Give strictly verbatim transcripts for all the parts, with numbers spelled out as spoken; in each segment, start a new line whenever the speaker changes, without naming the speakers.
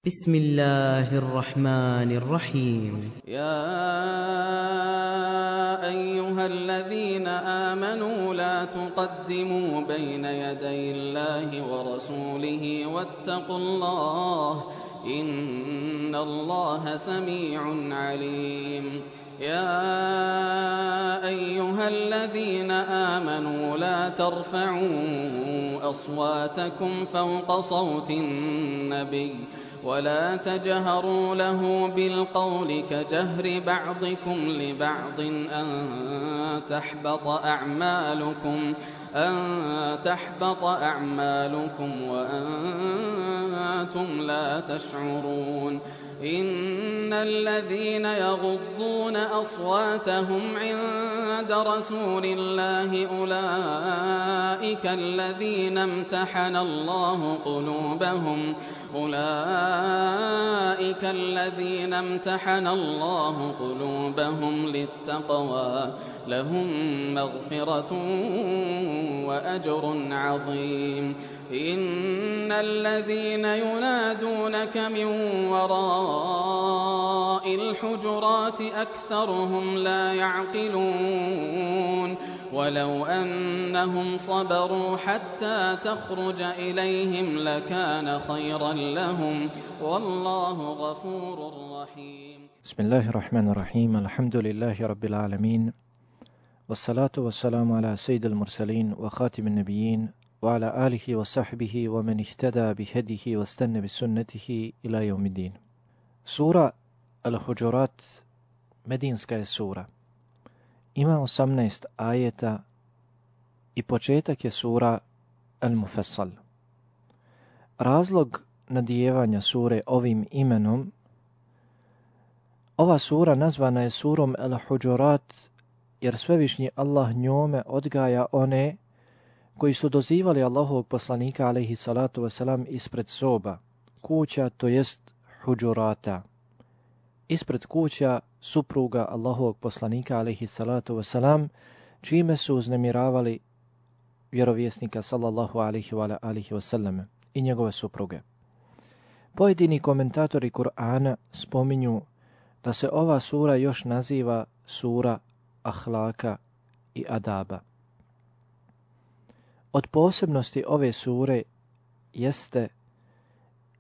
بسم الله الرحمن الرحيم
يا أيها الذين آمنوا لا تقدموا بين يدي الله ورسوله واتقوا الله إن الله سميع عليم يا أيها الذين آمنوا لا ترفعوا أصواتكم فوق صوت النبي ولا تجهروا له بالقول كجهر بعضكم لبعض أن تحبط أعمالكم أن تحبط أعمالكم وأنتم لا تشعرون إن الذين يغضون أصواتهم عند رسول الله أولئك الذين امتحن الله قلوبهم أولئك الذين امتحن الله قلوبهم للتقوى لهم مغفرة وأجر عظيم إن الذين ينادونك من وراء الحجرات أكثرهم لا يعقلون ولو أنهم صبروا حتى تخرج إليهم لكان خيرا لهم والله غفور رحيم.
بسم الله الرحمن الرحيم. الحمد لله رب العالمين والصلاة والسلام على سيد المرسلين وخاتم النبيين وعلى آله وصحبه ومن اهتدى بهديه واستنى بسنته إلى يوم الدين. Sura Al-Huđurat medinska je sura. Ima osamnaest ajeta i početak je sura Al-Mufassal. Razlog nadijevanja sure ovim imenom, ova sura nazvana je surom Al-Huđurat jer svevišnji Allah njome odgaja one koji su dozivali Allahovog poslanika alejhi salatu vesselam ispred soba, kuća, to jest huđurata. Ispred kuća supruga Allahovog poslanika alejhi salatu vesselam, čime su uznemiravali vjerovjesnika sallallahu alejhi wa alihi wasallam i njegove supruge. Pojedini komentatori Kur'ana spominju da se ova sura još naziva sura ahlaka i adaba. Od posebnosti ove sure jeste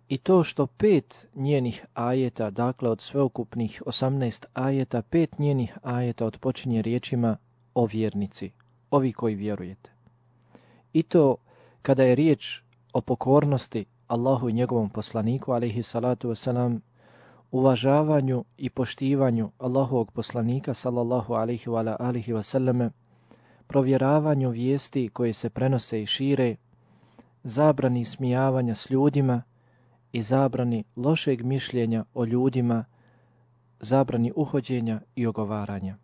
i to što pet njenih ajeta, dakle od sveukupnih osamnaest ajeta, pet njenih ajeta odpočinje riječima o vjernici, ovi koji vjerujete. I to kada je riječ o pokornosti Allahu i njegovom poslaniku, alejhi salatu wasalam, uvažavanju i poštivanju Allahovog poslanika, sallallahu alejhi wa alihi wasallame, provjeravanju vijesti koje se prenose i šire, zabrani smijavanja s ljudima i zabrani lošeg mišljenja o ljudima, zabrani uhođenja i ogovaranja.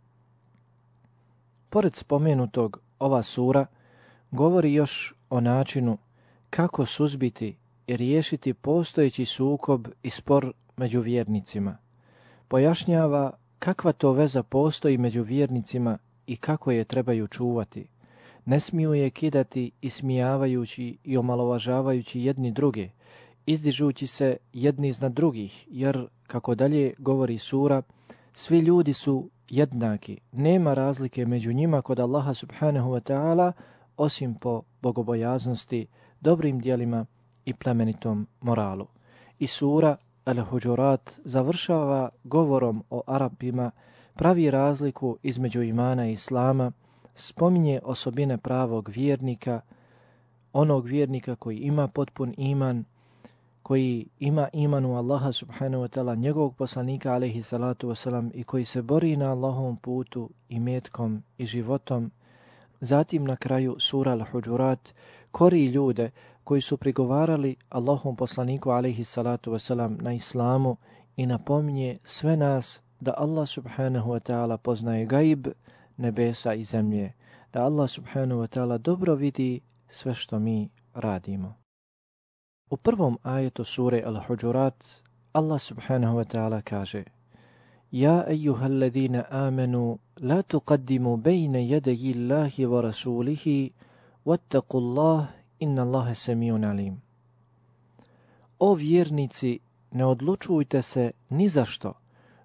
Pored spomenutog, ova sura govori još o načinu kako suzbiti i riješiti postojeći sukob i spor među vjernicima. Pojašnjava kakva to veza postoji među vjernicima i kako je trebaju čuvati. Ne smiju je kidati ismijavajući i omalovažavajući jedni druge, izdižući se jedni iznad drugih, jer, kako dalje govori sura, svi ljudi su jednaki, nema razlike među njima kod Allaha subhanahu wa ta'ala, osim po bogobojaznosti, dobrim djelima i plemenitom moralu. I sura Al-Huđurat završava govorom o Arapima, pravi razliku između imana i islama, spominje osobine pravog vjernika, onog vjernika koji ima potpun iman, koji ima iman u Allaha subhanahu wa ta'ala, njegovog poslanika alejhi salatu wasalam i koji se bori na Allahovom putu i metkom i životom. Zatim na kraju sura Al-Huđurat kori ljude koji su prigovarali Allahovom poslaniku alejhi salatu wasalam na islamu i napominje sve nas da Allah subhanahu wa ta'ala poznaje gaib nebesa i zemlje, da Allah subhanahu wa ta'ala dobro vidi sve što mi radimo. U prvom ajetu sure Al-Huđurat Allah subhanahu wa ta'ala kaže: Ja ejuhal ladina amenu la tuqaddimu bejne jedeji Allahi wa rasulihi wattaqu Allah inna Allahe semijun alim. O vjernici, ne odlučujte se ni za što,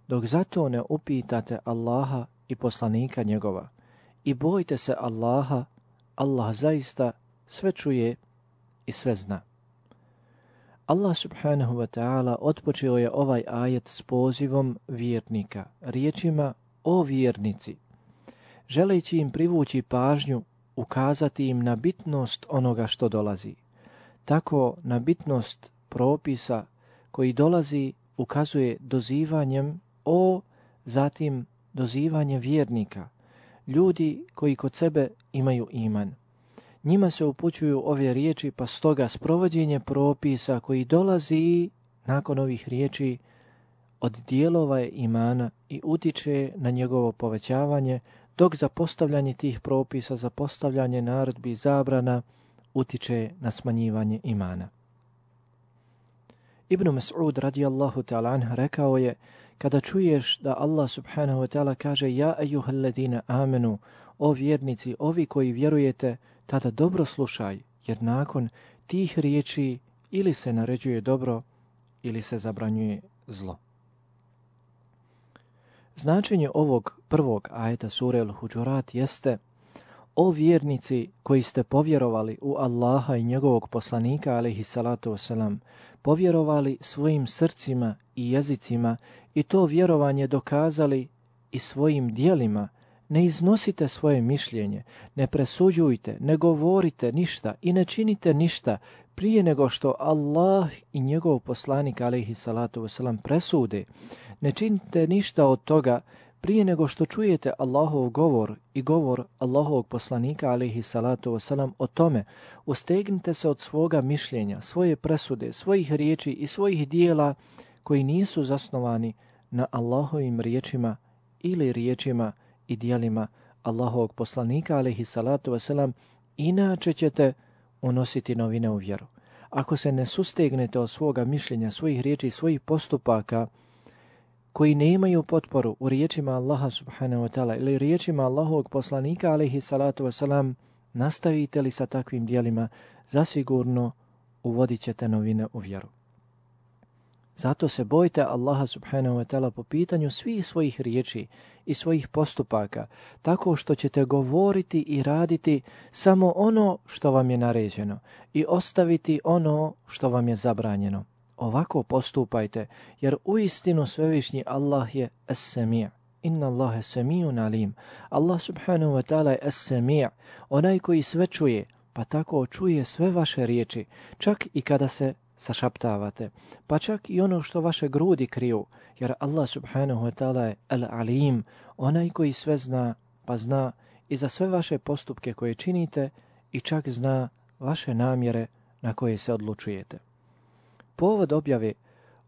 dok zato ne upitate Allaha i poslanika njegova. I bojte se Allaha, Allah zaista sve čuje i sve zna. Allah subhanahu wa ta'ala otpočeo je ovaj ajet s pozivom vjernika, riječima o vjernici, želeći im privući pažnju, ukazati im na bitnost onoga što dolazi. Tako na bitnost propisa koji dolazi ukazuje dozivanjem o, zatim dozivanje vjernika, ljudi koji kod sebe imaju iman. Njima se upućuju ove riječi, pa stoga sprovođenje propisa koji dolazi nakon ovih riječi od dijelova je imana i utiče na njegovo povećavanje, dok za postavljanje tih propisa, za postavljanje naredbi i zabrana utiče na smanjivanje imana. Ibn Mas'ud radijallahu ta'ala anh rekao je, kada čuješ da Allah subhanahu wa ta'ala kaže ja ejuhel ladina amenu, o vjernici, ovi koji vjerujete, tada dobro slušaj, jer nakon tih riječi ili se naređuje dobro ili se zabranjuje zlo. Značenje ovog prvog ajeta sure Al-Huđurat jeste: o vjernici koji ste povjerovali u Allaha i njegovog poslanika alejhi salatu vesselam, povjerovali svojim srcima i jezicima i to vjerovanje dokazali i svojim dijelima, ne iznosite svoje mišljenje, ne presuđujte, ne govorite ništa i ne činite ništa prije nego što Allah i njegov poslanik alejhi salatu vesselam presude. Ne činite ništa od toga prije nego što čujete Allahov govor i govor Allahovog poslanika alejhi salatu vesselam o tome. Ustegnite se od svoga mišljenja, svoje presude, svojih riječi i svojih dijela koji nisu zasnovani na Allahovim riječima ili riječima i dijelima Allahovog poslanika alejhi salatu vesselam, inače ćete unositi novine u vjeru. Ako se ne sustegnete od svoga mišljenja, svojih riječi i svojih postupaka koji nemaju potporu u riječima Allaha subhanahu wa ta'ala ili riječima Allahovog poslanika alejhi salatu vesselam, nastavite li sa takvim dijelima, zasigurno uvodit ćete novine u vjeru. Zato se bojte Allaha subhanahu wa ta'ala po pitanju svih svojih riječi i svojih postupaka, tako što ćete govoriti i raditi samo ono što vam je naređeno i ostaviti ono što vam je zabranjeno. Ovako postupajte, jer uistinu svevišnji Allah je es-semi'. Inna Allahe semi'un alim. Allah subhanahu wa ta'ala je es-semi', onaj koji sve čuje, pa tako čuje sve vaše riječi, čak i kada se sašaptavate, pa čak i ono što vaše grudi kriju, jer Allah subhanahu wa ta'ala je al-alim, onaj koji sve zna, pa zna i za sve vaše postupke koje činite i čak zna vaše namjere na koje se odlučujete. Povod objave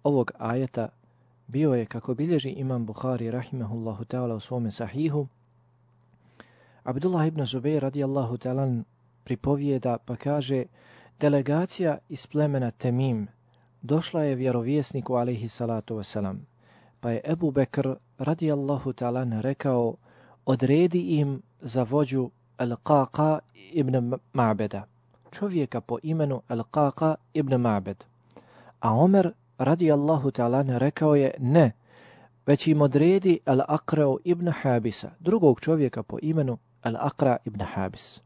ovog ajeta bio je, kako bilježi imam Buhari rahimahullahu ta'ala u svome sahihu, Abdullah ibn Zubair radijallahu ta'ala pripovijeda pa kaže: delegacija iz plemena Temim došla je vjerovjesniku alejhi salatu wasalam, pa je Ebu Bekr radijallahu ta'ala rekao: odredi im za vođu Al-Qaqa ibn Ma'beda, čovjeka po imenu Al-Qaqa ibn Ma'bed. A Omer radijallahu ta'ala rekao je: ne, već im odredi Al-Aqra ibn Habisa, drugog čovjeka po imenu Al-Aqra ibn Habis.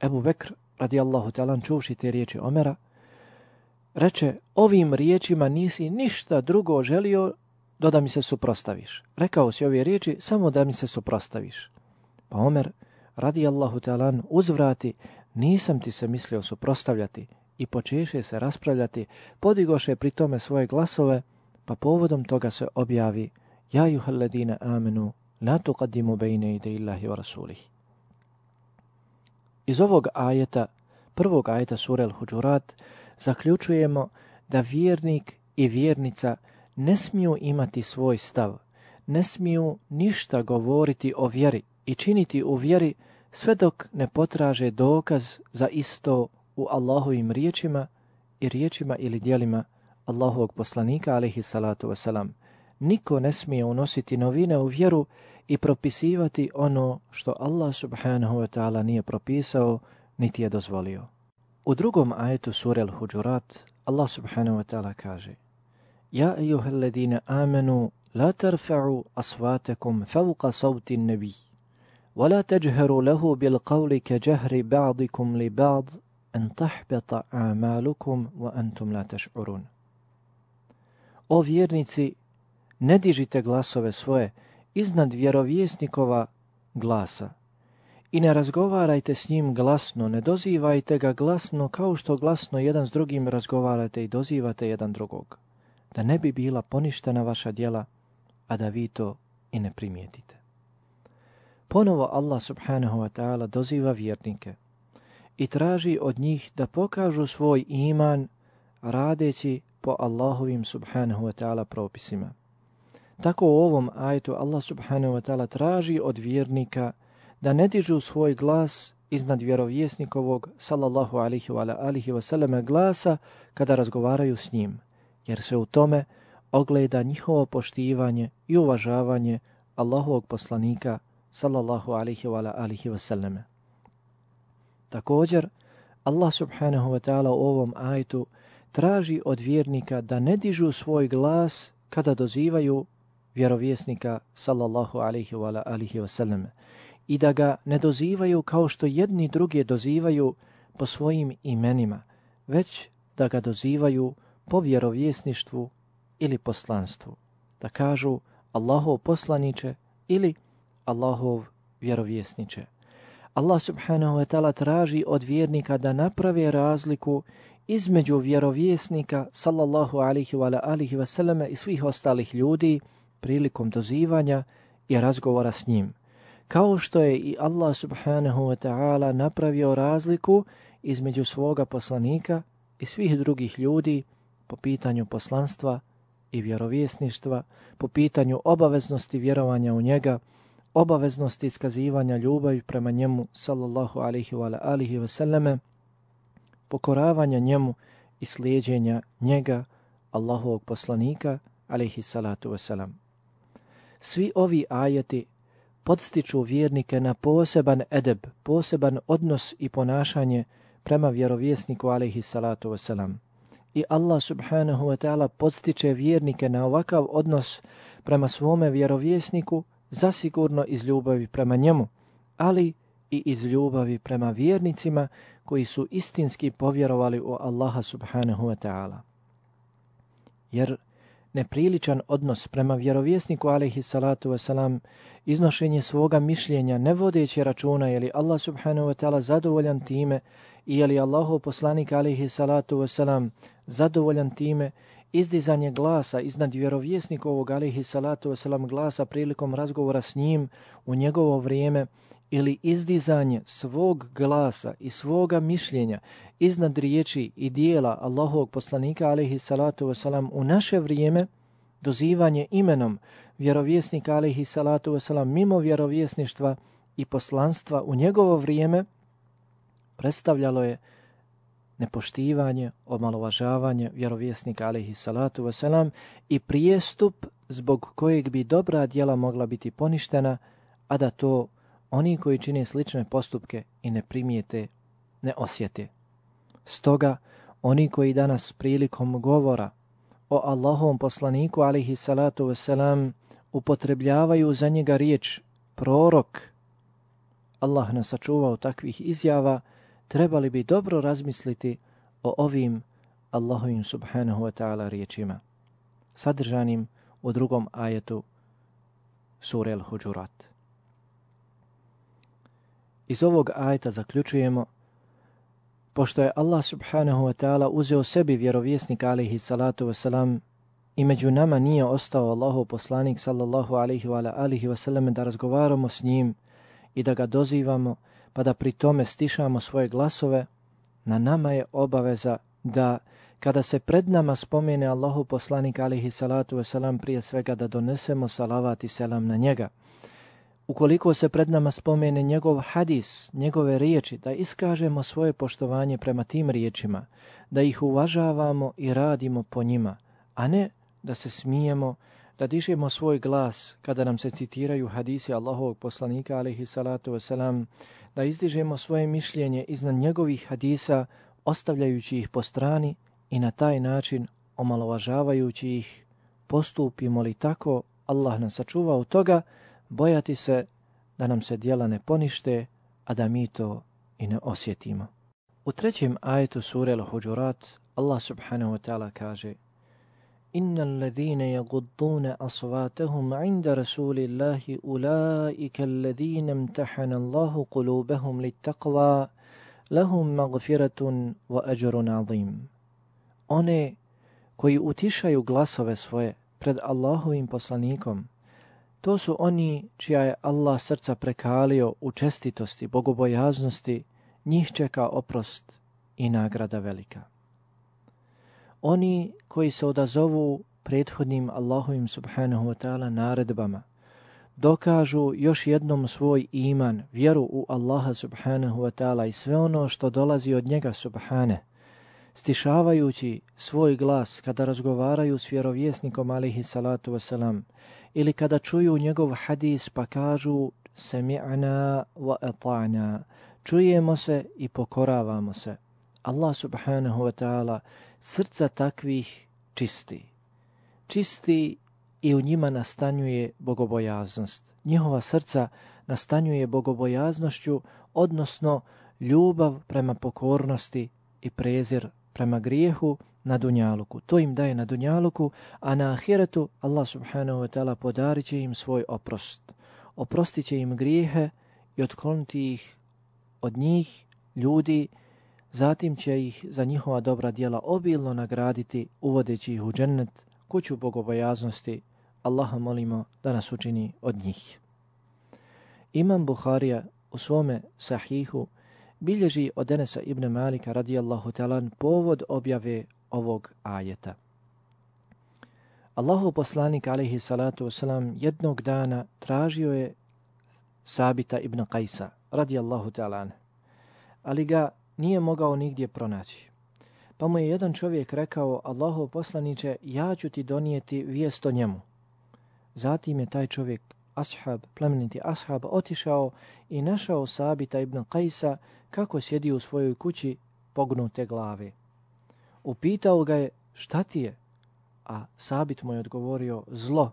Ebu Bekr radijallahu ta'ala čuvši te riječi Omera, reče: ovim riječima nisi ništa drugo želio do da mi se suprostaviš. Rekao si ove riječi samo da mi se suprostaviš. Pa Omer radijallahu ta'ala uzvrati: nisam ti se mislio suprostavljati, i počeše se raspravljati, podigoše pri tome svoje glasove, pa povodom toga se objavi: ja juhal ladina amenu la tuqaddimu bejne ide illahi wa rasulih. Iz ovog ajeta, prvog ajeta sure Al-Huđurat, zaključujemo da vjernik i vjernica ne smiju imati svoj stav, ne smiju ništa govoriti o vjeri i činiti u vjeri sve dok ne potraže dokaz za isto u Allahovim riječima i riječima ili dijelima Allahovog poslanika alejhi salatu wasalam. Niko ne smije unositi novine u vjeru i propisivati ono što Allah subhanahu wa ta'ala nije propisao niti je dozvolio. U drugom ajetu sure Al-Huđurat Allah subhanahu wa ta'ala kaže: Ja ejuhel ladine amenu, la tarfa'u asvatakum fawqa sawti an-nabi, wa la tajharu lahu bil qawli ka jahri ba'dikum li ba'd an tahbata a'malukum wa antum la tash'urun. O vjernici, ne dižite glasove svoje iznad vjerovjesnikova glasa i ne razgovarajte s njim glasno, ne dozivajte ga glasno kao što glasno jedan s drugim razgovarate i dozivate jedan drugog, da ne bi bila poništena vaša djela, a da vi to i ne primijetite. Ponovo Allah subhanahu wa ta'ala doziva vjernike i traži od njih da pokažu svoj iman radeći po Allahovim subhanahu wa ta'ala propisima. Tako u ovom ajetu Allah subhanahu wa ta'ala traži od vjernika da ne dižu svoj glas iznad vjerovjesnikovog sallallahu alihi wa alihi wa sallam glasa kada razgovaraju s njim, jer se u tome ogleda njihovo poštivanje i uvažavanje Allahovog poslanika sallallahu alihi wa alihi wa sallam. Također, Allah subhanahu wa ta'ala u ovom ajetu traži od vjernika da ne dižu svoj glas kada dozivaju vjerovjesnika sallallahu alaihi wa alihi wa sallam i da ga ne dozivaju kao što jedni drugi dozivaju po svojim imenima, već da ga dozivaju po vjerovjesništvu ili poslanstvu, da kažu Allahov poslaniče ili Allahov vjerovjesniče. Allah subhanahu wa ta'ala traži od vjernika da naprave razliku između vjerovjesnika sallallahu alaihi wa alihi wa sallam i svih ostalih ljudi prilikom dozivanja i razgovora s njim. Kao što je i Allah subhanahu wa ta'ala napravio razliku između svoga poslanika i svih drugih ljudi po pitanju poslanstva i vjerovjesništva, po pitanju obaveznosti vjerovanja u njega, obaveznosti iskazivanja ljubavi prema njemu sallallahu alaihi wa alihi wa sallame, pokoravanja njemu i slijeđenja njega, Allahovog poslanika alaihi salatu wasalam. Svi ovi ajeti podstiču vjernike na poseban edeb, poseban odnos i ponašanje prema vjerovjesniku alaihi salatu wasalam. I Allah subhanahu wa ta'ala podstiče vjernike na ovakav odnos prema svome vjerovjesniku zasigurno iz ljubavi prema njemu, ali i iz ljubavi prema vjernicima koji su istinski povjerovali u Allaha subhanahu wa ta'ala. Jer nepriličan odnos prema vjerovjesniku alejhi salatu wasalam, iznošenje svoga mišljenja ne vodeći računa je li Allah subhanahu wa ta'ala zadovoljan time i je li Allahov poslanik alejhi salatu wasalam zadovoljan time, izdizanje glasa iznad vjerovjesnikovog alejhi salatu wasalam glasa prilikom razgovora s njim u njegovo vrijeme ili izdizanje svog glasa i svoga mišljenja iznad riječi i dijela Allahovog poslanika alejhi salatu wasalam u naše vrijeme, dozivanje imenom vjerovjesnika alejhi salatu wasalam mimo vjerovjesništva i poslanstva u njegovo vrijeme, predstavljalo je nepoštivanje, omalovažavanje vjerovjesnika alejhi salatu wasalam i prijestup zbog kojeg bi dobra djela mogla biti poništena, a da to oni koji čine slične postupke i ne primijete, ne osjete. Stoga, oni koji danas prilikom govora o Allahovom poslaniku alejhi salatu wasalam upotrebljavaju za njega riječ prorok, Allah nas sačuvao takvih izjava, trebali bi dobro razmisliti o ovim Allahovim subhanahu wa ta'ala riječima, sadržanim u drugom ajetu sure Al-Huđurat. Iz ovog ajeta zaključujemo, pošto je Allah subhanahu wa ta'ala uzeo sebi vjerovjesnika alejhi salatu wasalam i među nama nije ostao Allahov poslanik sallallahu alejhi wa alihi wasallam da razgovaramo s njim i da ga dozivamo, pa da pri tome stišamo svoje glasove, na nama je obaveza da kada se pred nama spomene Allahov poslanik alejhi salatu wasalam, prije svega da donesemo salavat i selam na njega. Ukoliko se pred nama spomene njegov hadis, njegove riječi, da iskažemo svoje poštovanje prema tim riječima, da ih uvažavamo i radimo po njima, a ne da se smijemo, da dižemo svoj glas kada nam se citiraju hadisi Allahovog poslanika alejhi salatu wasalam, da izdižemo svoje mišljenje iznad njegovih hadisa, ostavljajući ih po strani i na taj način omalovažavajući ih, postupimo li tako, Allah nas sačuva od toga, bojati se da nam se djela ne ponište, a da mi to i ne osjetimo. U trećem ajetu sure Al-Huđurat Allah subhanahu wa ta'ala kaže: Inna alladhine yaguddune asvatahum inda rasulillahi ulaika alladhine imtahana Allahu qulubahum littaqwa lahum magfiratun wa ajrun azim. One koji utišaju glasove svoje pred Allahovim poslanikom, to su oni čija je Allah srca prekalio u čestitosti, bogobojaznosti, njih čeka oprost i nagrada velika. Oni koji se odazovu prethodnim Allahovim subhanahu wa ta'ala naredbama, dokažu još jednom svoj iman, vjeru u Allaha subhanahu wa ta'ala i sve ono što dolazi od njega subhane, stišavajući svoj glas kada razgovaraju s vjerovjesnikom alihi salatu wasalam, ili kada čuju njegov hadis pa kažu sami'na wa ata'na, čujemo se i pokoravamo se. Allah subhanahu wa ta'ala srca takvih čisti. Čisti i u njima nastanjuje bogobojaznost. Njihova srca nastanjuje bogobojaznošću, odnosno ljubav prema pokornosti i prezir prema grijehu na dunjaluku. To im daje na dunjaluku, a na ahiretu Allah subhanahu wa ta'ala podarit će im svoj oprost. Oprostit će im grijehe i otkloniti ih od njih, ljudi, zatim će ih za njihova dobra djela obilno nagraditi, uvodeći ih u džennet, kuću bogobojaznosti. Allaha molimo da nas učini od njih. Imam Buharija u svome sahihu bilježi od Enesa ibn Malika radijallahu ta'ala povod objave ovog ajeta. Allahov poslanik alejhi salatu wasalam jednog dana tražio je Sabita ibn Qajsa radijallahu ta'ala, ali ga nije mogao nigdje pronaći. Pa mu je jedan čovjek rekao: Allahov poslaniče, ja ću ti donijeti vijest o njemu. Zatim je taj čovjek, ashab, plemeniti ashab, otišao i našao Sabita ibn Qajsa kako sjedi u svojoj kući pognute glave. Upitao ga je: šta ti je? A Sabit mu je odgovorio: zlo.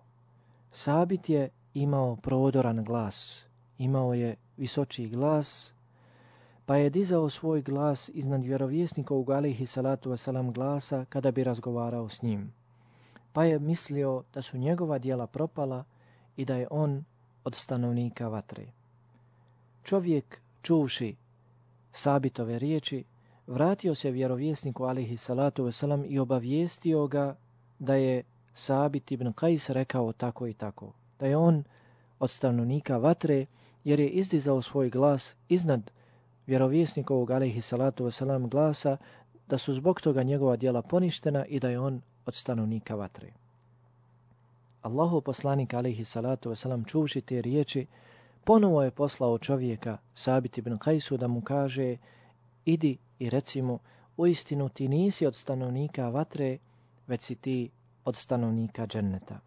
Sabit je imao prodoran glas, imao je visočiji glas, pa je dizao svoj glas iznad vjerovjesnikovog alejhi salatu wasalam glasa kada bi razgovarao s njim. Pa je mislio da su njegova djela propala i da je on od stanovnika vatre. Čovjek, čuvši Sabitove riječi, vratio se vjerovjesniku alejhi salatu wasalam i obavijestio ga da je Sabit ibn Qajs rekao tako i tako, da je on od stanovnika vatre jer je izdizao svoj glas iznad vjerovjesnikovog alejhi salatu wasalam glasa, da su zbog toga njegova djela poništena i da je on od stanovnika vatre. Allahov poslanik alejhi salatu wasalam čuvši te riječi, ponovo je poslao čovjeka Sabit ibn Qajsu da mu kaže: idi i reci mu, uistinu ti nisi od stanovnika vatre, već si ti od stanovnika dženneta.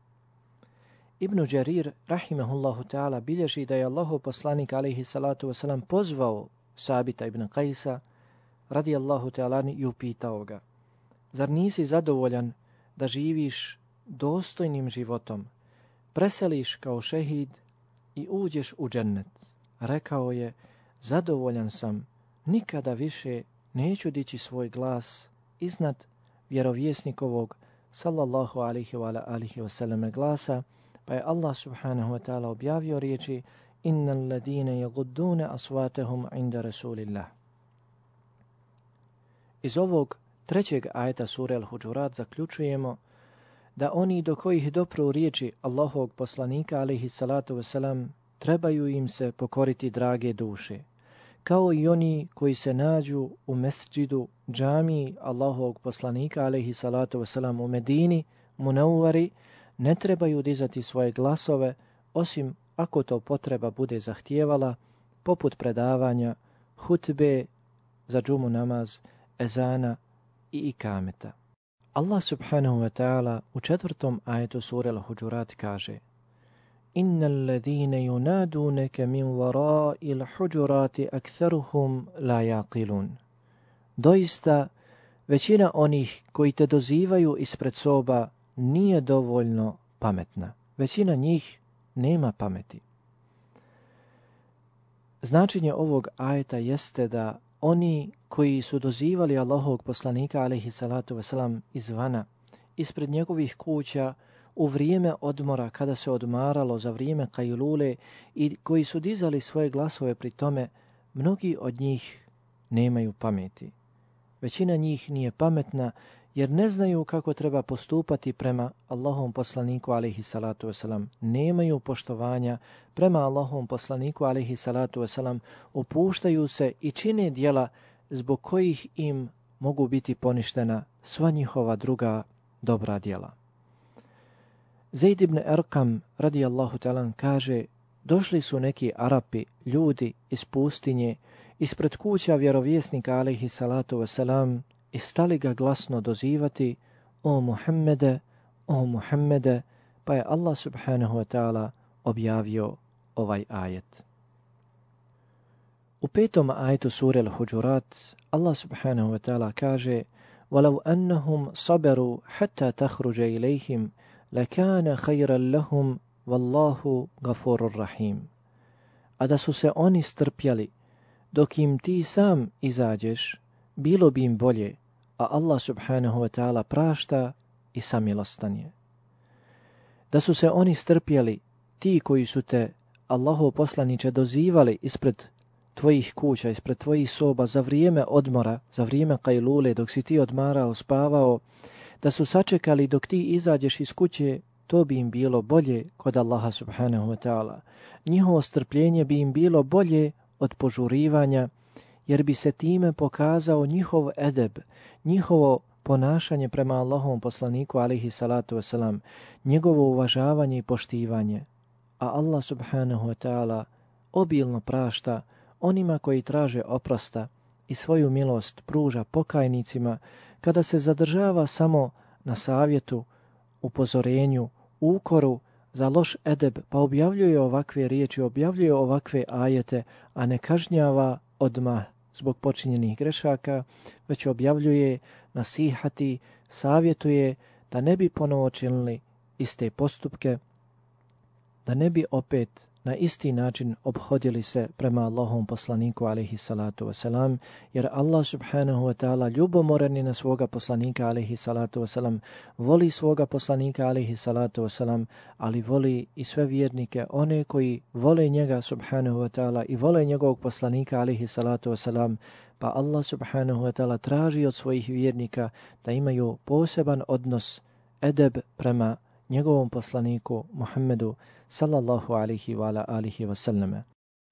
Ibn Đarir rahimahullahu ta'ala bilježi da je Allahov poslanik alejhi salatu wasalam pozvao Sabita ibn Qajsa radijallahu ta'ala i upitao ga: zar nisi zadovoljan da živiš dostojnim životom, preseliš kao šehid i uđeš u džennet? Rekao je: zadovoljan sam, nikada više neću dići svoj glas iznad vjerovjesnikovog sallallahu alaihi wa alihi wasallam glasa. Pa je Allah subhanahu wa ta'ala objavio riječi: innal ladine yaguddune asvatahum inda rasulillah. Iz ovog trećeg ajeta sure Al-Huđurat zaključujemo da oni do kojih dopru riječi Allahovog poslanika alejhi salatu wasalam trebaju im se pokoriti drage duše, kao i oni koji se nađu u mesdžidu, džamiji Allahovog poslanika alejhi salatu wasalam u Medini, Munawvari, ne trebaju dizati svoje glasove, osim ako to potreba bude zahtijevala, poput predavanja, hutbe za džumu namaz, ezana i ikameta. Allah subhanahu wa ta'ala u četvrtom ajetu sure Al-Huđurat kaže: innal ladine yunadunaka min wara'il huđurati aktharuhum la yaqilun. Doista, većina onih koji te dozivaju ispred soba nije dovoljno pametna. Većina njih nema pameti. Značenje ovog ajeta jeste da oni koji su dozivali Allahovog poslanika alejhi salatu vesselam izvana, ispred njegovih kuća, u vrijeme odmora kada se odmaralo, za vrijeme kajlule, i koji su dizali svoje glasove pri tome, mnogi od njih nemaju pameti. Većina njih nije pametna jer ne znaju kako treba postupati prema Allahovom poslaniku alejhi salatu vesselam. Nemaju poštovanja prema Allahovom poslaniku alejhi salatu vesselam, opuštaju se i čine djela zbog kojih im mogu biti poništena sva njihova druga dobra djela. Zaid ibn Erkam radijallahu ta'ala kaže, došli su neki Arapi, ljudi iz pustinje, ispred kuća vjerovjesnika alejhi salatu vesselam i stali ga glasno dozivati: o Muhammede, o Muhammede, pa je Allah subhanahu wa ta'ala objavio ovaj ajet. U petom ajetu sure Al-Huđurat Allah subhanahu wa ta'ala kaže: وَلَوْ أَنَّهُمْ صَبَرُوا حَتَّى تَخْرُجَ إِلَيْهِمْ لَكَانَ خَيْرًا لَهُمْ وَاللَّهُ غَفُورٌ رَحِيمٌ. A da su se oni strpjeli dok im ti sam izađeš, bilo bi im bolje, a Allah subhanahu wa ta'ala prašta i samilostan je. Da su se oni strpjeli, ti koji su te, Allahov poslaniče, dozivali ispred tvojih kuća, ispred tvojih soba, za vrijeme odmora, za vrijeme kajlule, dok si ti odmarao, spavao, da su sačekali dok ti izađeš iz kuće, to bi im bilo bolje kod Allaha subhanahu wa ta'ala. Njihovo strpljenje bi im bilo bolje od požurivanja, jer bi se time pokazao njihov edeb, njihovo ponašanje prema Allahovom poslaniku alejhi salatu vesselam, njegovo uvažavanje i poštivanje. A Allah subhanahu wa ta'ala obilno prašta onima koji traže oprosta i svoju milost pruža pokajnicima kada se zadržava samo na savjetu, upozorenju, ukoru za loš edeb, pa objavljuje ovakve riječi, objavljuje ovakve ajete, a ne kažnjava odmah zbog počinjenih grešaka, već objavljuje, nasihati, savjetuje da ne bi ponovo činili iste postupke, da ne bi opet na isti način obhodili se prema Allahovom poslaniku alejhi salatu wasalam, jer Allah subhanahu wa ta'ala ljubomoran je na svoga poslanika alejhi salatu wasalam, voli svoga poslanika alejhi salatu wasalam, ali voli i sve vjernike, one koji vole njega subhanahu wa ta'ala i vole njegovog poslanika alejhi salatu wasalam, pa Allah subhanahu wa ta'ala traži od svojih vjernika da imaju poseban odnos, edeb prema njegovom poslaniku Muhammedu sallallahu alihi wa ala alihi wa sallame.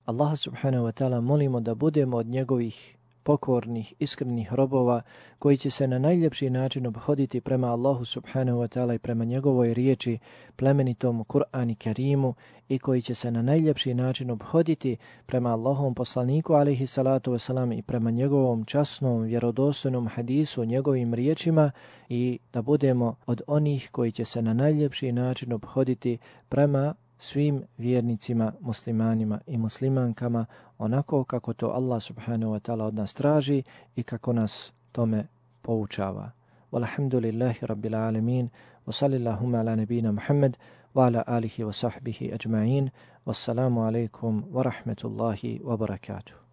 Allah subhanahu wa ta'ala molimo da budemo od njegovih pokornih, iskrenih robova koji će se na najljepši način obhoditi prema Allahu subhanahu wa ta'ala i prema njegovoj riječi, plemenitom Kur'an i Kerimu, i koji će se na najljepši način obhoditi prema Allahovom poslaniku alejhi salatu wasalam i prema njegovom časnom, vjerodostojnom hadisu, njegovim riječima, i da budemo od onih koji će se na najljepši način obhoditi prema svim vjernicima, muslimanima i muslimankama, onako kako to Allah subhanahu wa ta'ala od nas traži i kako nas tome poučava. Walhamdulillahi rabbil alamin, wa sallallahu ala nabina Muhammad wa ala alihi wa sahbihi ajma'in, wassalamu alaikum wa rahmetullahi wa barakatuh.